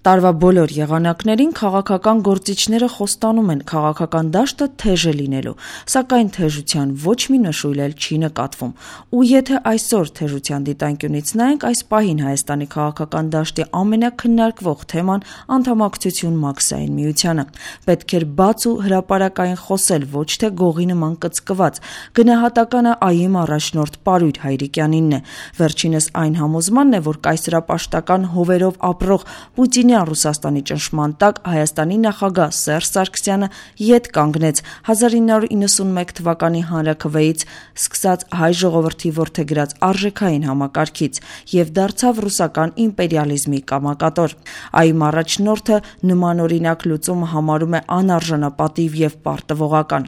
Տարվա բոլոր եղանակներին քաղաքական գործիչները խոստանում են քաղաքական դաշտը թեժ է լինելու, սակայն թեժության ոչ մի նշույլ էլ չի նկատվում։ Ու եթե այսօր թեժության դիտանկյունից նայենք, այս պահին Հայաստանի քաղաքական դաշտի ամենաքննարկվող թեման անդամակցություն Մաքսային միությանը։ Պետք էր բաց ու հրապարակային խոսել, ոչ թե գողի նման կծկված։ Գնահատականը ԱԻ-ի առաջնորդ Պարույր Հայրիկյանինն է։ Վերջինս այն համոզմանն է, որ կայսերապաշտական հովերով ապրող Պուտինյան Ռուսաստանի ճնշման տակ Հայաստանի նախագահ Սերժ Սարգսյանը ետ կանգնեց 1991 թվականի հանրաքվեից սկսած հայ ժողովրդի որդեգրած արժեքային համակարգից եւ դարձավ ռուսական իմպերիալիզմի կամակատոր։ ԱԻ-ի առաջնորդը նմանօրինակ լուծումը համարում է անարժանապատիվ եւ պարտվողական։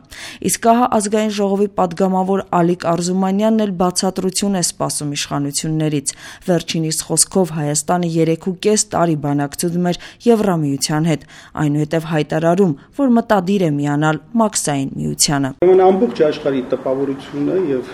Իսկ ահա ազգային ժողովի падգամավոր Ալիկ Արզումանյանն էլ բացատրություն է սպասում իշխանություններից։ Վերջինիս խոսքով Հայաստանը 3.5 տարի բանակցում էր Եվրամիության հետ, այնուհետև հայտարարում, որ մտադիր է միանալ Մաքսային միությանը։ Ամբողջ աշխարհի տպավորությունը եւ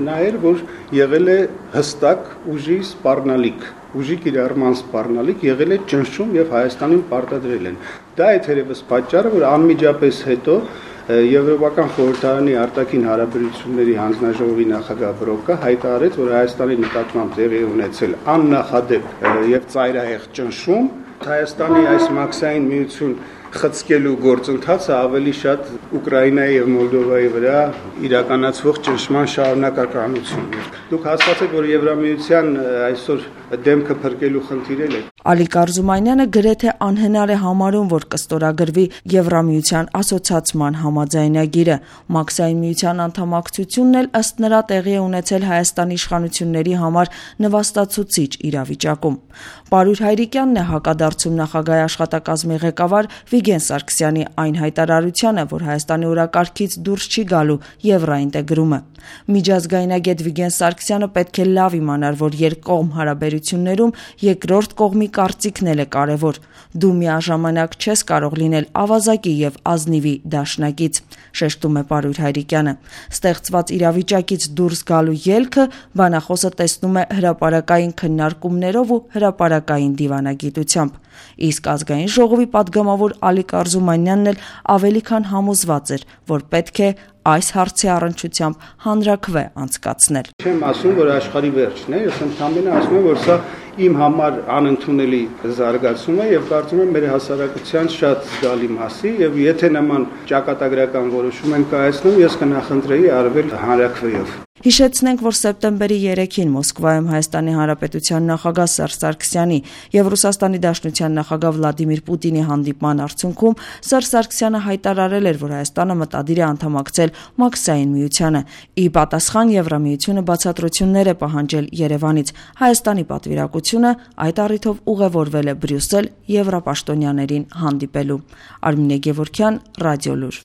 նա էր, որ եղել է հստակ ուժի սպառնալիք, ուժի կիրառման սպառնալիք, եղել է ճնշում եւ Հայաստանին պարտադրել են։ Դա է թերևս պատճառը, որ անմիջապես հետո Եվրոպական խորհրդարանի արտաքին հարաբերությունների հանձնաժողովի նախագահ Բրոկը հայտարարեց, որ Հայաստանի նկատմամբ տեղի ունեցել աննախադեպ եւ ծայրահեղ ճնշում, Հայաստանի այս Մաքսային միություն խցկելու գործընթացը ավելի շատ Ուկրաինայի եւ Մոլդովայի վրա իրականացվող ճնշման շարունակականություն է։ Դուք հասկացեք, որ Եվրամիության այսօր դեմքը փրկելու խնդիր է։ Ալիկ Արզումանյանը գրեթե անհնար է համարում, որ կստորագրվի Եվրամիության ասոցիացման համաձայնագիրը։ Մաքսային միության անդամակցությունն էլ ըստ նրա տեղի է ունեցել Հայաստանի իշխանությունների համար նվաստացուցիչ իրավիճակում։ Պարույր Հայրիկյանն է հակադարձում նախագահի աշխատակազմի ղեկավար Վիգեն Սարգսյանի այն հայտարարությանը, որ Հայաստանի օրակարգից դուրս չի գալու եվրոինտեգրումը։ Միջազգայնագետ Վիգեն Սարգսյանը պետք է լավ իմանար, որ երկկողմ հարաբերություններում երկրորդ կողմի կարծիքն էլ է կարևոր։ Դու միաժամանակ չես կարող լինել ավազակի եւ ազնիվի դաշնակից, շեշտում է Պարույր Հայրիկյանը։ Ստեղծված իրավիճակից դուրս գալու ելքը բանախոսը տեսնում է հրապարակային քննարկումներով ու հրապարակային դիվանագիտությամբ։ Իսկ ազգային ժողովի падգամավոր Ալիկ Արզումանյանն էլ ավելի քան համոզված էր, որ պետք է այս հարցի առնչությամբ հանրաքվե անցկացնել։ Չեմ ասում, որ աշխարհի վերջն է, ես ընդհանրապես ասում եմ, որ սա իմ համար անընդունելի զարգացում է եւ կարծում եմ մեր հասարակության շատ զգալի մասի եւ եթե նման ճակատագրական որոշում են կայացնում, ես կնախընտրեի արվել հանրաքվեով։ Հիշեցնենք, որ սեպտեմբերի 3-ին Մոսկվայում Հայաստանի Հանրապետության նախագահ Սերժ Սարգսյանի եւ Ռուսաստանի Դաշնության նախագահ Վլադիմիր Պուտինի հանդիպման արդյունքում Սերժ Սարգսյանը հայտարարել էր, որ Հայաստանը մտադիր է անդամակցել Մաքսային միությանը։ Ի պատասխան Եվրամիությունը բացատրություններ է պահանջել Երևանից։ Հայաստանի պատվիրակությունը այդ առիթով ուղևորվել է Բրյուսել եվրապաշտոնյաներին հանդիպելու։ Արմինե Գևորգյան, Ռադիոլուր։